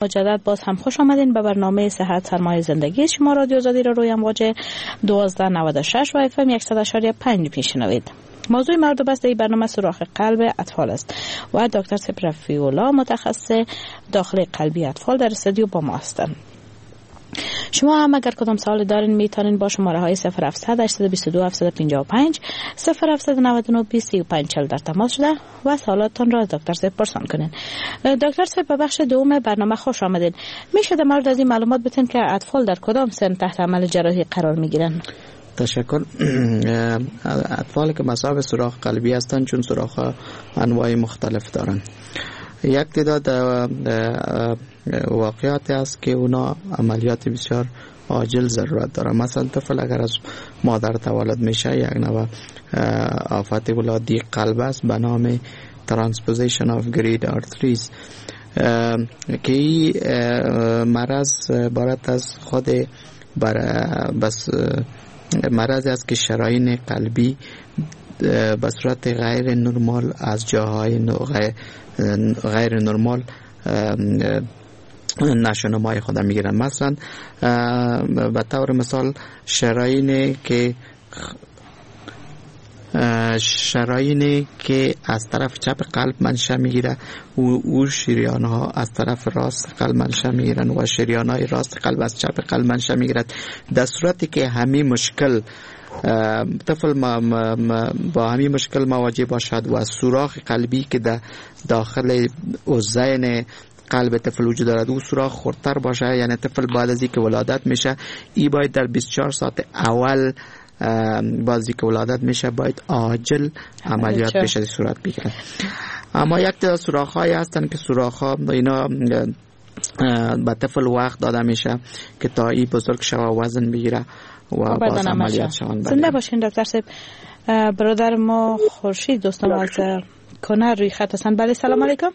مجدد باز هم خوش آمدین به برنامه صحت سرمایه زندگی. شما رادیو آزادی را روی امواج 1296 و اف ام 100.5 میشنوید. موضوع مورد بحث این برنامه سوراخ قلب اطفال است و دکتر رفیع متخصص داخل قلبی اطفال در استودیو با ما هستند. شما هم اگر کدام سوال دارین میتونین با شماره های 0700 822 755 0799 25 40 در تماس شده و سوالاتتان را از دکتر صاحب پرسان کنین. دکتر صاحب، به بخش دوم برنامه خوش آمدین. میشه در مورد از این معلومات بتین که اطفال در کدام سن تحت عمل جراحی قرار میگیرن؟ تشکر. اطفال که مصاب سوراخ قلبی هستند، چون سوراخ انواع مختلف دارند، یک تعداد واقعات است که اونا عملیات بسیار عاجل ضرورت داره. مثلا طفل اگر از مادر تولد میشه، یک نوع آفت ولادی قلب است به نام transposition of great arteries که این مرض عبارت از خود بس مرض است که شرایین قلبی به صورت غیر نرمال از جاهای غیر نرمال نشونمای خود میگیرن. مثلا به طور مثال شرايین که از طرف چپ قلب منشأ میگیره و او شریان ها از طرف راست قلب منشأ میگیرن و شریان های راست قلب از چپ قلب منشأ میگیرد. در صورتی که همین مشکل طفل با همین مشکل مواجه باشد و سوراخ قلبی که در داخل اذین قلب طفل وجود دارد او سوراخ خردتر باشه، یعنی طفل بعد از اینکه ولادت میشه ای باید در 24 ساعت اول بعد که ولادت میشه باید عاجل عملیات بشه صورت بگیره. اما یک تعداد سوراخ هایی هستن که سوراخ ها اینا به طفل وقت داده میشه که تا ای بزرگ شوه وزن بگیره و باز عملیات شوند. زنده باشین دکتر صاحب. برادر ما خورشید دوستان از کنر روی خط هستن. بله، سلام علیکم.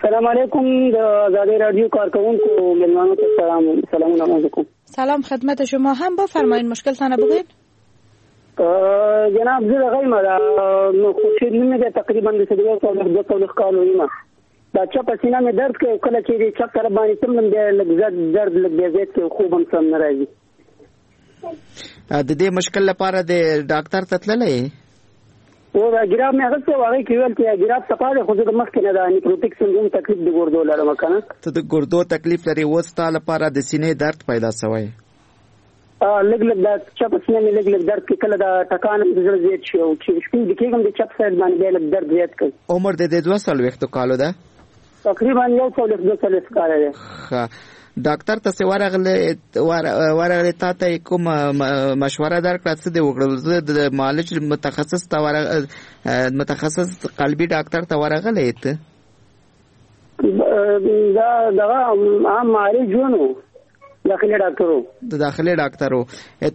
سلام علیکم، د ازادي رادیو کارکونکو میلمانو ته سلام. سلام علیکم. سلام خدمت شما هم، بفرمایید مشکل تانه بگوین. جناب زه دغه یم، خورشید نوم مې دی، تقریبا د 42 کالو یم. دا چپه سینه مې درد کوي، کله چې د چپ طرف باندې تمم بیا لږ درد لږ بیا زیات کوي، خوب هم سم نه راځي. د دې مشکل لپاره د ډاکټر ته تللی؟ و دا ګراف مې اخیستی و، هغې کې ویل چې ګراف صفا دی، خو زه د مخکې نه د nephrotic syndrome تکلیف د ګردو لرم. که نه ته د ګردو تکلیف لرې، اوس ستا لپاره د سینې درد پیدا سوی؟ لږ لږ دا چپ سینه مې لږ لږ درد کوي، کله دا ټکان هم د زړه زیات شي او چې شپې ویده کېږم د چپ side باندې بیا لږ درد زیات کوي. عمر د دې 42 کالو ده؟ تقریبا 41 42 کاله دی. ښه، ډاکټر ته څه ورغلې تا ته یې کوم مشوره درکړه، څه دې وکړل؟ زه د معالج متخصص ته متخصص قلبي ډاکټر ته ورغلې ته؟ دا دغه عام معالج ونو، داخلي ډاکټرو. د داخلي ډاکټرو.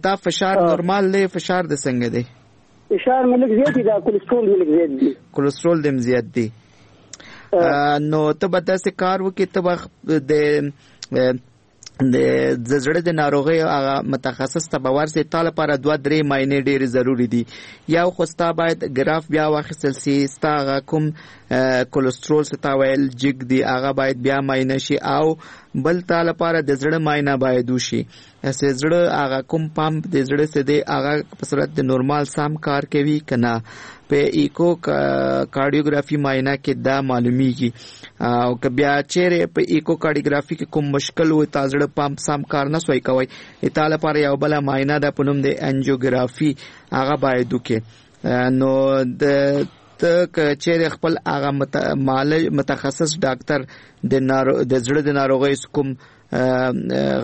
تا فشار نورمال دی؟ فشار د څنګه دی؟ فشار مې لږ زیات دی، دا کولیسټرول مې لږ زیات دی. کولیسټرول دې زیات دی. نو ته به داسې کار وکړې، ته به د د زړه د ناروغۍ هغه متخصص ته به ورسې. تا لپاره 2-3 معاینې ډېرې ضروري دي. یو خو ستا باید ګراف بیا واخیستل سي، ستا هغه کوم کولیسټرول چې تا ویل جګ دی هغه باید بیا معاینه شي، او بل تا لپاره د زړه معاینه باید وشي. چې زړه هغه کوم پمپ د زړه څه دی هغه په صورت د نورمال سم کار کوي که نه، په ایکو کارډیوګرافي معاینه کې دا معلومیږي. او که بیا چیرې په ایکو کارډیوګرافي کې کوم مشکل و، تا زړه پمپ سم کار نه سوی کوي، تا لپاره یو بله معاینه ده په نوم د انجیوګرافي، هغه باید وکړي. نو د ته که چیرې خپل هغه متخصص ډاکټر د زړه د ناروغۍ کوم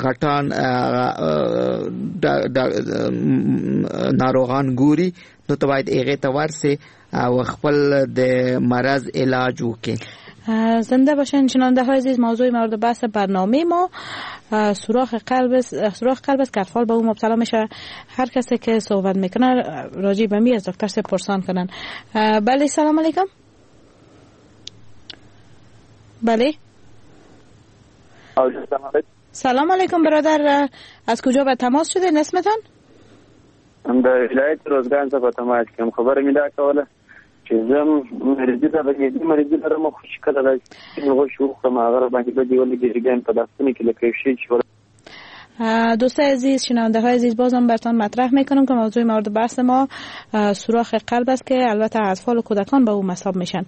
غټان ناروغان ګوري، نو ته باید هغې ته ورسې او خپل د مرض علاج وکړې. زنده باشین شنونده های عزیز. موضوع مورد بحث برنامه ما سوراخ قلب است که اطفال به او مبتلا میشه. هر کسی که صحبت میکنه راجع به می از دکتر سه پرسان کنن. بله، سلام علیکم. بله، سلام علیکم برادر، از کجا به تماس شده اسمتان؟ د ولایت روزګان څخه تماس کوم. خبره مې دا کوله چې زه مریضي ده، معدې مریضي لرم، خو چې کله داسې سپین غوښې وخورم هغه راباندې بدې ولګېږي، بیا مې په دا ستوني کې لکه یو شی چې دوستای عزیز، شنونده های عزیز، بازم براتان مطرح میکنم که موضوع مورد بحث ما سوراخ قلب است که البته اطفال و کودکان به او مصاب میشن.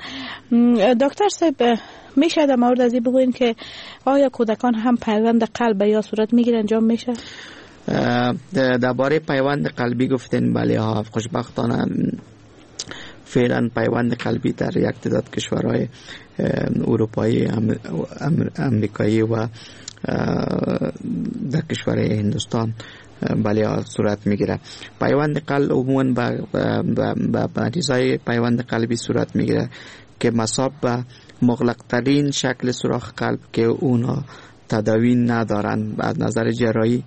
دکتر صاحب، میشه در مورد از این بگوین که آیا کودکان هم پیوند قلب یا صورت میگیرن انجام میشه؟ درباره پیوند قلبی گفتین، بله ها، خوشبختانه فعلا پیوند قلبی در یک تعداد کشورهای اروپایی، امریکایی و در کشور هندوستان بله صورت میگیره. پیوند قلب عموما به مریضای پیوند قلبی صورت میگیره که مصاب به مغلق ترین شکل سوراخ قلب که اونا تداوی ندارن، از نظر جراحی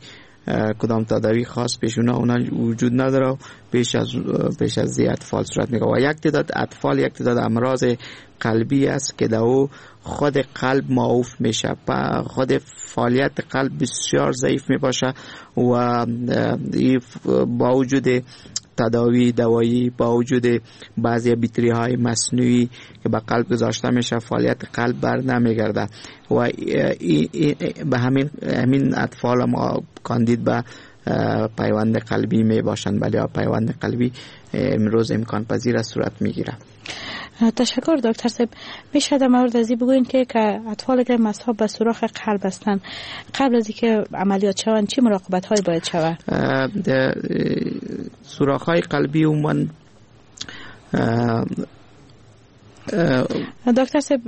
کدام تداوی خاص پیش اونا وجود نداره، پیش از اطفال صورت میگیره. و یک تعداد اطفال یک تعداد امراض قلبی است که در او خود قلب معوف میشه، خود فعالیت قلب بسیار ضعیف میباشه و با وجود تداوی دوایی، با وجود بعضی بیتری های مصنوعی که به قلب گذاشته میشه، فعالیت قلب بر نمیگرده و به همین اطفال ما کاندید به پیوند قلبی می باشند. ولی پیوند قلبی امروز امکان پذیر از صورت میگیره. تشکر دکتر صاحب. میشه در مورد از این بگوین که اطفال که مصاب به سوراخ قلب هستند قبل از اینکه عملیات شوند چه مراقبت هایی باید شود؟ سوراخ های قلبی عموما دکتر صاحب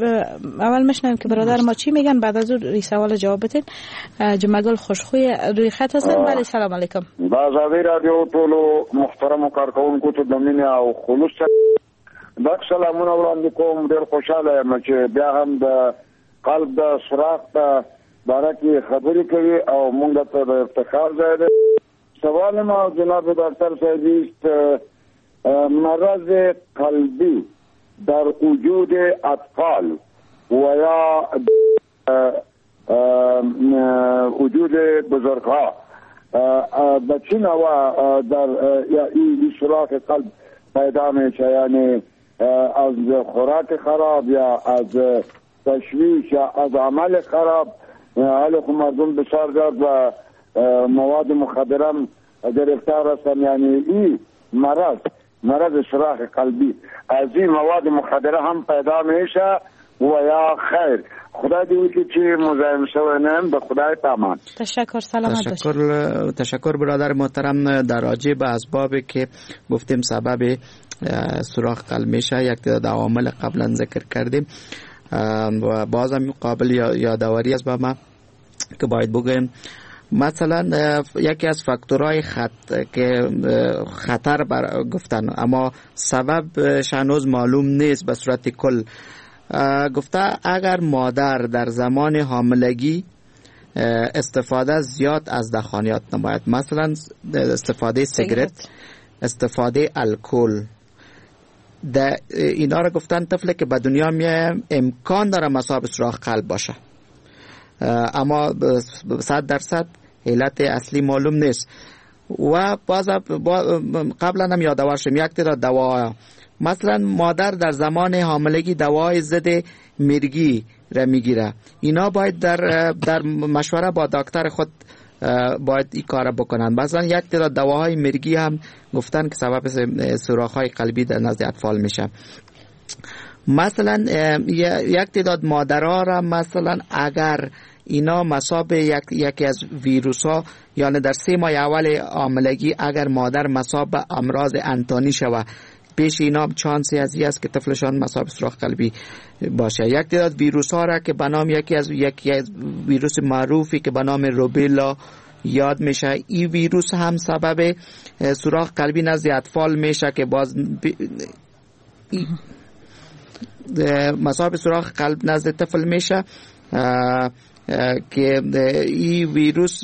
اول میشنویم که برادر ما چی میگن، بعد از اون سوال جواب بدین. جمعه گل خوشخوی روی خط هستن. بله، سلام علیکم. د ازادي رادیو ټولو محترمو کارکوونکو ته د مینې او خلوص ډک سلامونه وړاندې کوم. ډېر خوشحاله یم چې بیا هم د قلب د سوراخ په باره کې خبرې کوي او موږ ته د افتخار ځای دی. سوال ما جناب ډاکټر صاحب است، مرض قلبی در وجود اطفال و یا وجود بزرگها به چه نوع در این سوراخ قلب پیدا میشه؟ یعنی از خوراک خراب یا از تشویش یا از عمل خراب؟ حالا خو مردم بسیار زیاد و مواد مخدره گرفتار هستن. یعنی این مرض سوراخ قلبی از این مواد مخدره هم پیدا میشه و یا خیر؟ خدای دې وکړي چې مزاحم شوی نه یم، به خدای پامان. تشکر، سلامت باشید. تشکر برادر محترم. در راجع به اسبابی که گفتیم سبب سوراخ قلب میشه، یک تعداد عوامل قبلا ذکر کردیم و بازم قابل یادآوری است به ما که باید بگویم مثلا یکی از فاکتورهای که خطر بر گفتن اما سبب هنوز معلوم نیست به صورت کل، گفته اگر مادر در زمان حاملگی استفاده زیاد از دخانیات نماید، مثلا استفاده سیگرت، استفاده الکل، اینا را گفتن طفل که به دنیا میاد امکان داره مصاب سوراخ قلب باشه، اما 100% علت اصلی معلوم نیست. و باز قبلا هم یادآور شدم یک تعداد دوا، مثلا مادر در زمان حاملگی دوای ضد میرگی را میگیره، اینا باید در مشوره با دکتر خود باید این کار بکنن. مثلا یک تعداد دواهای مرگی هم گفتن که سبب سوراخ‌های قلبی در نزد اطفال میشه. مثلا یک تعداد مادرها را مثلا اگر اینا مصاب یکی از ویروس ها، یعنی در 3 ماه اول حاملگی اگر مادر مصاب به امراض انتانی شوه، پیش اینا چانسی از این است که طفلشان مصاب سوراخ قلبی باشه. یک تعداد ویروس ها را که به نام یکی از ویروس معروفی که به نام روبیلا یاد میشه، این ویروس هم سبب سوراخ قلبی نزد اطفال میشه که باز مصاب سوراخ قلب نزد طفل میشه که این ویروس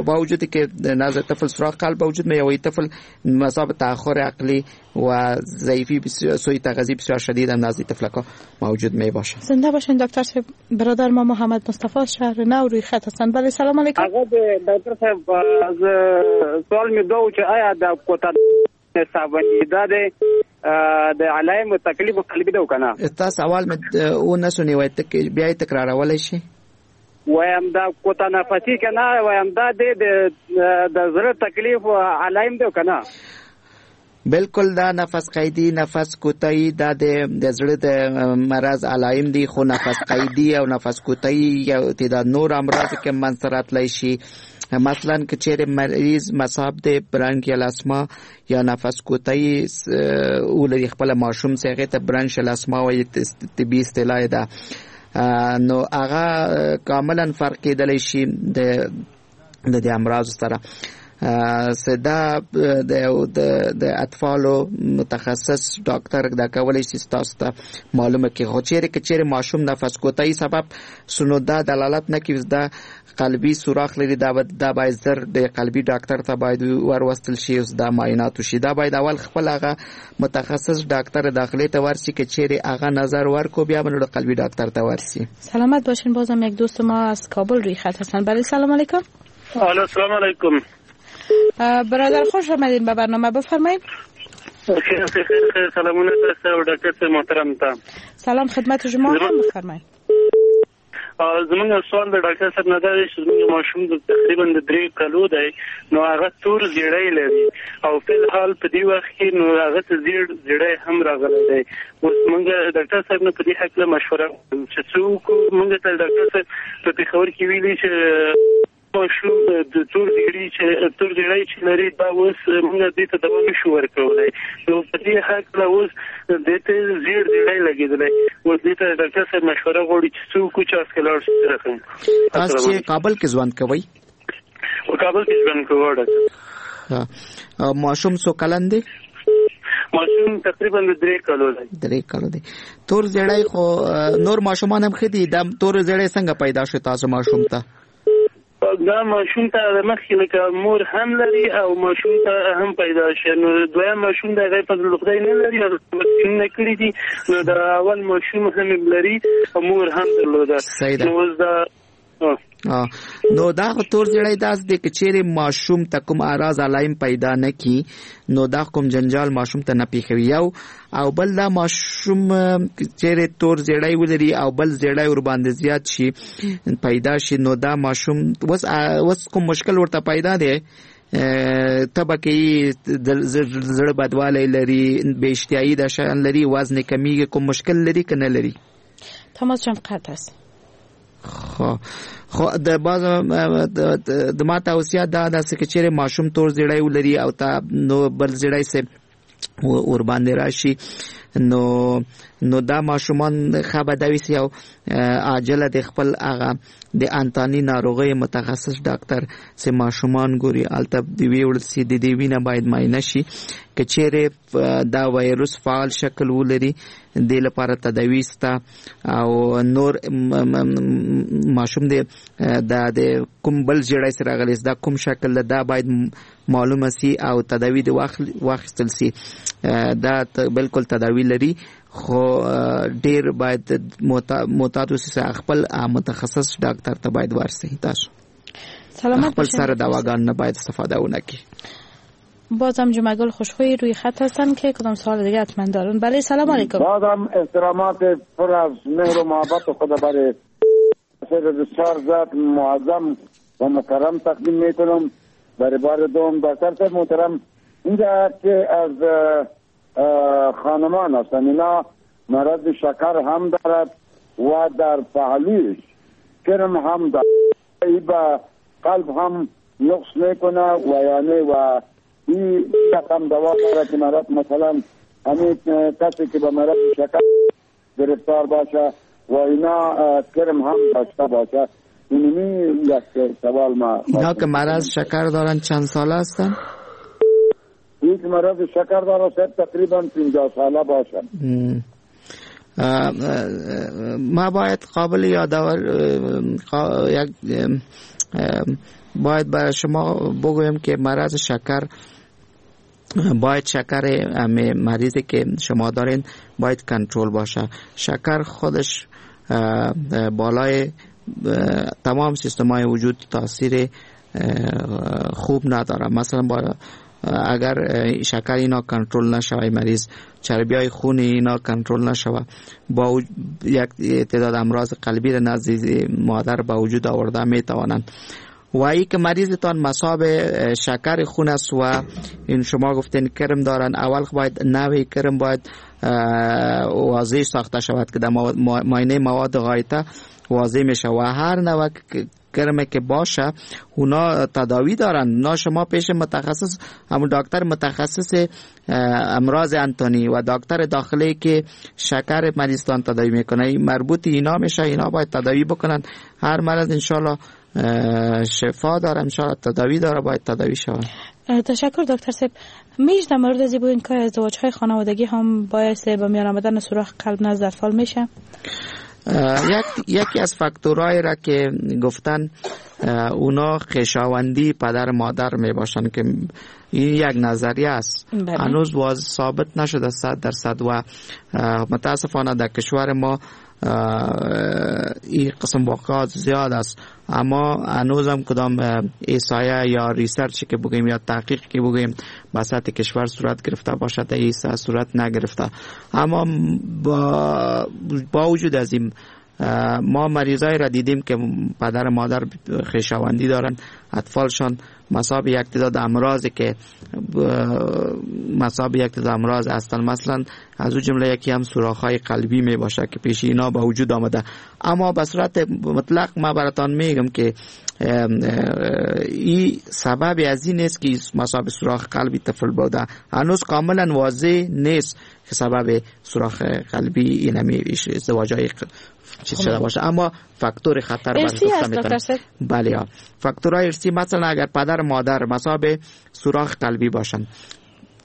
با وجودی که نزد طفل سوراخ قلب وجود میاد و این طفل مصاب تأخر عقلی و ضعیفی بسیار، سوء تغذیه بسیار شدید هم نزد طفلکا موجود می باشه. زنده باشین دکتر صاحب. برادر ما محمد مصطفی شهر نو روی خط هستند. بله، سلام علیکم. هغه ډاکټر صاحب سوال می دا و چې آیا د کوتا صاحب دا د د علایم تکلیف قلبي ده کنه؟ تاسو اول مې ونه شنیوي، بیا یې تکرارولی شي؟ وایم دا کوتا نفسي کنه، وایم دا د زړه تکلیف علایم ده کنه؟ بالکل، دا نفس قیدی، نفس کوتاهی دا د زړه د مرض علایم دي، خو نفس قیدی او نفس کوتاهی یو تعداد نور امراض کې منځ ته راتلی شي. مثلا که چیرې مریض مصاب د برانکیال اسما یا نفس کوتاهی ولري، خپل ماشوم چې هغې ته برانشیال اسما وایي، طبي اصطلاح ده، نو هغه کاملا فرق کېدلی شي د دې امراض سره. دا د اطفالو متخصص ډاکټر دا کولی شي تاسو ته معلومه کړي. خو چیرې که چیرې ماشوم نفس کوتاهی سبب سنو دا دلالت نه کوي دا قلبي سوراخ لري، دا باید زر د قلبي ډاکټر ته باید وروستل شي، اوس دا معاینات وشي. دا باید اول خپل هغه متخصص ډاکټر داخلي ته ورشي، که چیرې هغه نظر ورکو بیا به نو قلبي ډاکټر ته ورشي. سلامت باشین. بازم یک دوست ما از کابل روی خط هستن. بله، سلام علیکم. الو، سلام علیکم. برادر خوش آمدین به برنامه، بفرمایید. خیر خیر، سلامونه تاسو او ډاکټر صاحب محترم ته. سلام خدمت شما هم، بفرمایید. زمونږ سوال د ډاکټر صاحب نه دا دی چې زمونږ ماشوم د تقریبا د 3 کلو دی، نو هغه تور زیړی لري او په الحال په دې وخت کې نو هغه ته زیړی هم راغلی دی. اوس مونږ ډاکټر صاحب نه په دې هکله مشوره چې څوک مونږ ته ډاکټر صاحب په پېښور کې ویلي چې ماشوم د تور زیړی چې لري دا اوس مونږ دې ته دوا نشو ورکولی، نو په دې هکله اوس دې ته زیړ زیړی لګېدلی، اوس دې ته ډاکټر صاحب مشوره غواړي چې څوک چې هسکه لاړ شي. رقم تاسو چې کابل کې ژوند کوئ؟ په کابل کې ژوند کوو ډاکټر. ماشوم څو کلن دی؟ ماشوم تقریبا 3 کلو دی. 3 کلو دی. تور زیړی خو نور ماشومان هم ښه دي، دا تور زیړی څنګه پیدا شو تاسو ماشوم ته؟ دا ماشوم ته د مخکې لکه مور هم لري او ماشوم ته هم پیدا شي، نو دویم ماشوم د هغې فضل خدای نه لري، هغه واکسینونه کړي دي، نو د اول ماشوم هم لري او مور هم درلوده. نو اوس دا نو دا خو تور زیړی داس دی که چیرې ماشوم ته کوم اعراض علایم پیدا نه کی نو دا کوم جنجال ماشوم ته نه پیښوي. یو او بل دا ماشوم چیرې تور زیړی ولري او بل زیړی ورباندې زیات شي پیدا شي، نو دا ماشوم اوس کوم مشکل ورته پیدا دی، تبه کوي، زړه بدوالی لري، بې اشتهایي دا شیان لري، وزن یې کمیږي، کوم مشکل لري که نه لري؟ تماس جان قطع است. خو د باز د ما توصیه دا ده چې چیرې ماشوم تور زیړی ولري او تا نو بل زیړی سه ور باندې راشي، نو دا ماشومان ښه به دا وي او عاجله د خپل هغه د انتاني ناروغۍ متخصص ډاکټر چې ماشومان ګوري هلته د ویوړل سي، د دې وینه باید معاینه شي، که چیرې دا وایروس فعال شکل ولري دې لپاره تداوي سته او نور ماشوم دی دا د کوم بل زیړی سره راغلی دا کوم شکل ده دا باید معلومه سي او تداوي د واخیستل سي. دا بالکل تداوي لري، خو ډیر باید معتاد اوسئ، خپل متخصص ډاکټر ته باید ورسئ. تاسو سلامت خپل سره دواګان نه باید استفاده ونه کړئ. بازم جمعه گل خوشخوی روی خط هستن که کدام سوال دیگه حتما دارن. بله، سلام علیکم. بازم احترامات پر از مهر و محبت خود برای بسیار ذات معظم و مکرم تقدیم میکنم. برای بار دوم دکتر صاحب محترم، اینجا که از خانمان هستن اینا مرض شکر هم دارد و در پهلویش کرم هم دارد، ای به قلب هم نقص میکنه و یعنی و این رقم دوا داره که مرض مثلا همین کسی که به مرض شکر گرفتار باشه و اینا کرم هم داشته باشه. اینمی یک سوال ما. اینا که مرض شکر دارن چند ساله هستن؟ یک مرض شکر داره تقریبا 50 ساله باشن. ما باید قابل یادآور یک باید برای شما بگویم که مرض شکر باید شکر مریضی که شما دارین باید کنترل باشه. شکر خودش بالای تمام سیستم های وجود تاثیر خوب نداره. مثلا با اگر شکر اینا کنترل نشوه، مریض چربی های خون اینا کنترل نشوه، با یک تعداد امراض قلبی را نزد مادر با وجود آورده می توانند. و ای که مریضتان مصاب شکر خون است و این شما گفتین کرم دارن، اول باید نوع کرم باید واضح ساخته شود که در معاینه مواد غایطه واضح میشه و هر نوع کرم که باشه اونا تداوی دارن. نه شما پیش متخصص، همون دکتر متخصص امراض انتونی و دکتر داخلی که شکر مریضتان تداوی میکنه، مربوط اینا میشه، اینا باید تداوی بکنن. هر مرض انشالله شفا داره، انشالله تداوی داره، باید تداوی شود. تشکر دکتر صاحب. میش در مورد از بودین که ازدواج های خانوادگی هم باعث به میان آمدن سوراخ قلب نزد اطفال میشه؟ یکی از فاکتورهای را که گفتن اونا خویشاوندی پدر مادر می باشن که این یک نظریه است، هنوز واضح ثابت نشده 100% و متاسفانه در کشور ما این قسم واقعات زیاد است، اما هنوز هم کدام احصایه یا research که بگیم یا تحقیق که بگیم به سطح کشور صورت گرفته باشد این صورت نگرفته. اما با وجود از این ما مریضای را دیدیم که پدر مادر خویشاوندی دارن، اطفالشان مصاب یک تعداد امراض که مصاب یک تعداد امراض هستند، مثلا از او جمله یکی هم سوراخ‌های قلبی می باشه که پیش اینا به وجود آمده. اما به صورت مطلق ما براتان میگم که این سبب از این نیست که مصاب سوراخ قلبی طفل بوده، هنوز کاملا واضح نیست که سبب سوراخ قلبی این همی ازدواج‌های چیز شده باشه، اما فاکتور خطر ارثی است دکتر. بله، فاکتورهای ارثی مثلا اگر پدر مادر مصاب سوراخ قلبی باشن،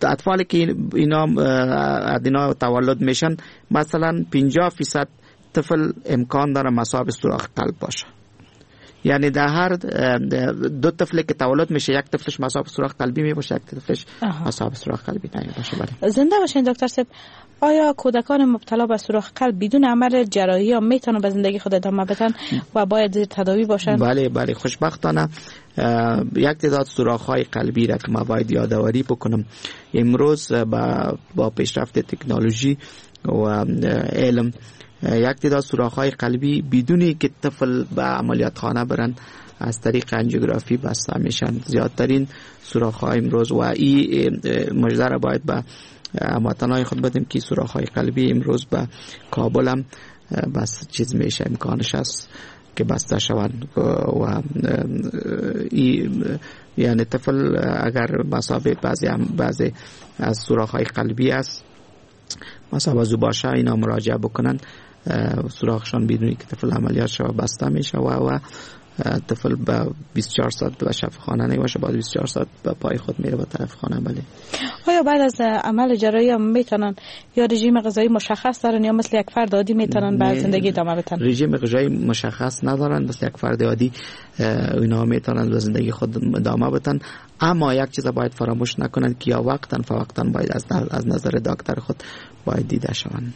اطفالی که اینا تولد میشن مثلا 50% طفل امکان داره مصاب سوراخ قلب باشه. یعنی در هر دو طفل که تولد میشه یک طفلش مصاب سوراخ قلبی میباشه، یک طفلش مصاب سوراخ قلبی نمیباشه. بله. زنده باشین دکتر صاحب. آیا کودکان مبتلا به سوراخ قلب بدون عمل جراحی یا میتونن به زندگی خود ادامه بدن و باید تداوی باشن؟ بله بله، خوشبختانه یک تعداد سوراخ‌های قلبی را که ما باید یادآوری بکنم امروز با پیشرفت تکنولوژی و علم یک تعداد سوراخ‌های قلبی بدون که طفل به عملیات خانه برن از طریق انجیوگرافی بسته میشن. زیادترین سوراخ‌های امروز و این مژده را باید به هموطنای خود بدیم که سوراخ‌های قلبی امروز به کابل هم بس چیز میشه، امکانش هست که بسته شوند و یعنی طفل اگر مصاب بعضی از سوراخ‌های قلبی است مصاب از او باشه اینا مراجعه بکنن، سوراخشان بدون که طفل عملیات شود بسته میشه و طفل به 24 ساعت به شفاخانه نمیشه، بعد 24 ساعت به پای خود میره به طرف خانه. بله. آیا بعد از عمل جراحی هم میتونن یا رژیم غذایی مشخص دارن یا مثل یک فرد عادی میتونن به زندگی ادامه بدن؟ رژیم غذایی مشخص ندارن، مثل یک فرد عادی اینا میتونن به زندگی خود ادامه بدن. اما یک چیز باید فراموش نکنند که یا وقتاً فوقتاً باید از نظر دکتر خود باید دیده شوند.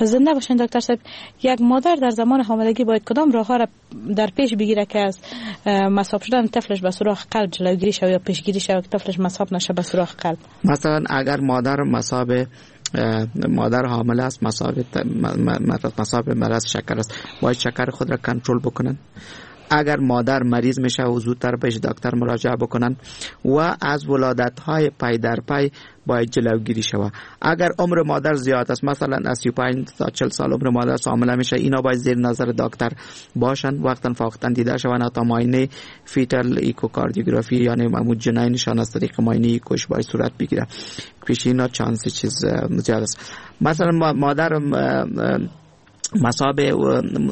زنده باشین دکتر صاحب. یک مادر در زمان حاملگی باید کدام راه‌ها را در پیش بگیره که از مصاب شدن طفلش به سوراخ قلب جلوگیری شود یا پیشگیری شود که طفلش مصاب نشه به سوراخ قلب؟ مثلا اگر مادر مصاب مادر حامله است، مصاب مرض شکر است، باید شکر خود را کنترل بکنن. اگر مادر مریض میشه و زودتر بهش دکتر مراجعه بکنن و از ولادت های پای در پای باید جلوگیری شود. اگر عمر مادر زیاد است، مثلا از 35 تا 40 سال عمر مادر حامله میشه، اینا باید زیر نظر دکتر باشن، وقتا فوقتا دیده شوند تا معاینه fetal echocardiography یعنی معمول جنینشان از طریق معاینه ایکوش باید صورت بگیره. پیش اینا چانس چیز زیاد است. مثلا مادر مصاب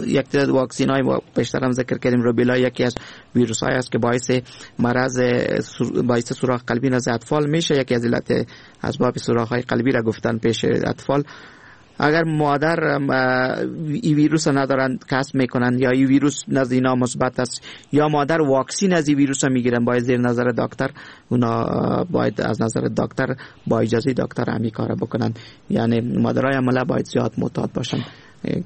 یک تعداد واکسین های پیشتر هم ذکر کردیم، روبیلا یکی از ویروس های است که باعث مرض باعث سوراخ قلبی نزد اطفال میشه، یکی از علت اسباب سوراخ های قلبی را گفتن پیش اطفال. اگر مادر این ویروس ندارن کسب میکنن یا این ویروس نزد اینا مثبت است یا مادر واکسین از این ویروس میگیرن، باید زیر نظر دکتر اونا باید از نظر دکتر با اجازه دکتر همین کارا بکنن. یعنی مادرای حامله باید زیاد معتاد باشن.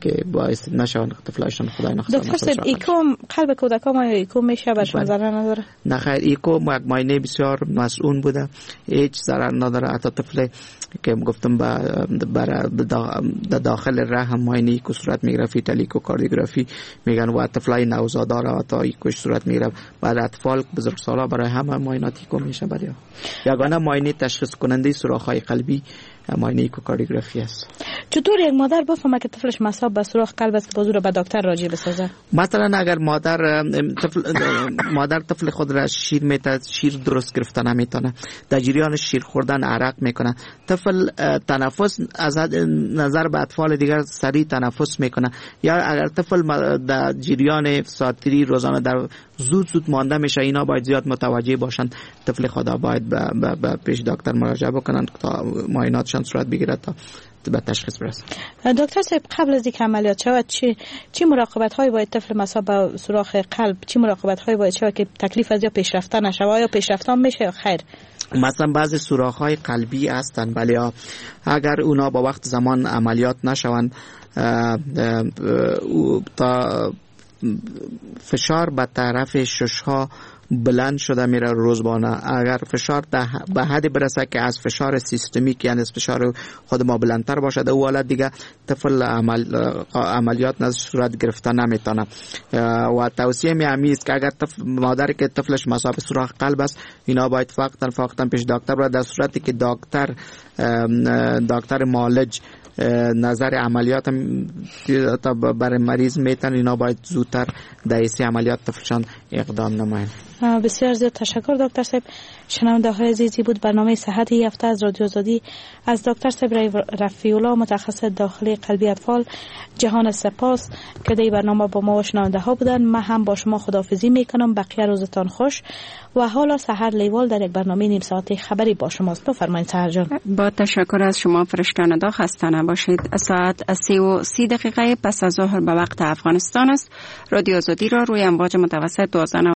که باعث نشوند طفلایشان خدای نخواسته. دکتر صاحب، ایکو قلب کودکان آیا ایکو میشه برشون ضرر نداره؟ نه خیر، ایکو یک معاینه بسیار مصئون بوده، هیچ ضرر نداره. حتی طفل که گفتم به داخل رحم معاینه ایکو صورت میگیره، fetal echocardiography میگن، و طفلای نوزادا را حتی ایکو صورت میگیره. بعد اطفال بزرگسالا برای همه معاینات ایکو میشه. برای یگانه معاینه تشخیص کننده سوراخ‌های قلبی معاینه echocardiography است. چطور یک مادر بفهمه که طفلش مصاب به سوراخ قلب است که باز او را به دکتر راجع بسازه؟ مثلا اگر مادر طفل خود را شیر میده، شیر درست گرفته نمیتونه، در جریان شیر خوردن عرق میکنه، طفل تنفس از نظر به اطفال دیگر سریع تنفس میکنه، یا اگر طفل در جریان ساعتری روزانه در زود زود مانده میشه، اینا باید زیاد متوجه باشند. طفل خدا باید به پیش دکتر مراجعه بکنند تا معایناتشان صورت بگیره تا به تشخیص برسه. دکتر صاحب، قبل از اینکه عملیات شود چی مراقبت هایی باید طفل مصاب به سوراخ قلب، چی مراقبت هایی باید شود که تکلیف از یا پیشرفته نشود، یا پیشرفته میشه یا خیر؟ مثلا بعضی سوراخ های قلبی هستند، ولی اگر اونا با وقت زمان عملیات نشوند تا فشار به طرف ششها بلند شده میره روزبانه. اگر فشار به حد برسه که از فشار سیستمیک، یعنی از فشار خود ما بلندتر باشد، او حالت دیگه طفل عملیات نزد صورت گرفته نمیتونه. و توصیه می همی است که اگر مادر که طفلش مصاب سوراخ قلب است، اینا باید فقط پیش دکتر بره. در صورتی که دکتر معالج نظر عملیات برای مریض میتن، اینا باید زودتر در ایسی عملیات طفلشان اقدام نمایند. بسیار زیاد تشکر دکتر صاحب. شنونده های عزیزی بود برنامه صحت هفته از رادیو آزادی از دکتر صاحب رفیع الله، متخصص داخلی قلبی اطفال. جهان سپاس که در برنامه با ما و شنونده ها بودن. من هم با شما خداحافظی میکنم. بقیه روزتان خوش. و حالا سحر لیوال در یک برنامه نیم ساعته خبری با شماست. بفرمایید سحر جان. با تشکر از شما فرشته ندا، خسته نباشید. ساعت 3:30 پس از ظهر به وقت افغانستان است. رادیو آزادی را روی امواج متوسط 12